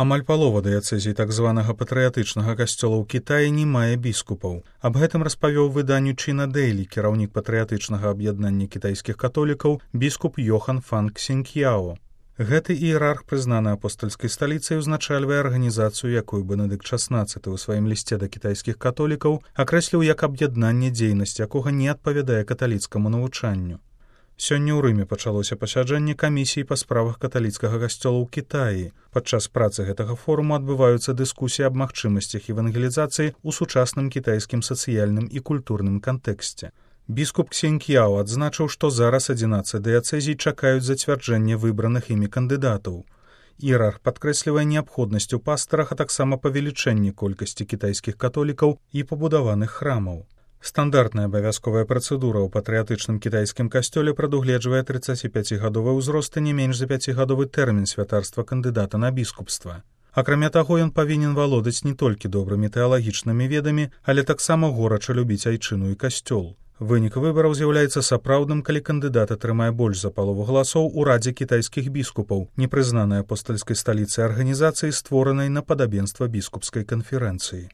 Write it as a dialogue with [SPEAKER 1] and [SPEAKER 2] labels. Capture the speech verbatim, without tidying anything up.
[SPEAKER 1] Амаль палова дыяцэзій так званага патрыятычнага касцёла ў Кітаі не мае біскупаў. Аб гэтым распавёў выданню China Daily кіраўнік патрыятычнага аб'яднання кітайскіх католікаў біскуп Йохан Фан Ксіньяо. Гэты іерарх, прызнаны апостальскай сталіцай, узначальвае арганізацыю, якую Бенедыкт шаснаццаты ў сваім лісце да кітайскіх католікаў акрэсліў як аб'яднанне, дзейнасць якога не адпавядае каталіцкаму навучанню. Сёння ў Рыме пачалося пасяджэнне камісіі па справах каталіцкага касцёла ў Кітаі. Падчас працы гэтага форуму адбываюцца дыскусіі аб магчымасцях евангелізацыі ў сучасным кітайскім сацыяльным і культурным кантэксце. Біскуп Ксіньяо адзначыў, што зараз адзінаццаць дыяцэзій чакаюць зацвярджэння выбраных імі кандыдатаў. Іерарх падкрэслівае неабходнасць у пастарах, а таксама павелічэнне колькасці кітайскіх католікаў і пабудаваных храмаў. Стандартная абавязковая працэдура ў патрыятычным кітайскім касцёле прадугледжвае трыццаціпяцігадовы ўзрост і не менш за пяцігадовы тэрмін святарства кандыдата на біскупства. Акрамя таго, ён павінен валодаць не толькі добрымі тэалагічнымі ведамі, але таксама горача любіць айчыну і касцёл. Вынік выбараў з'яўляецца сапраўдным, калі кандыдат атрымае больш за палову галасоў у радзе кітайскіх біскупаў, непрызнанай апостальскай сталіцай арганізацыі, створанай на падабенства біскупскай канферэнцыі.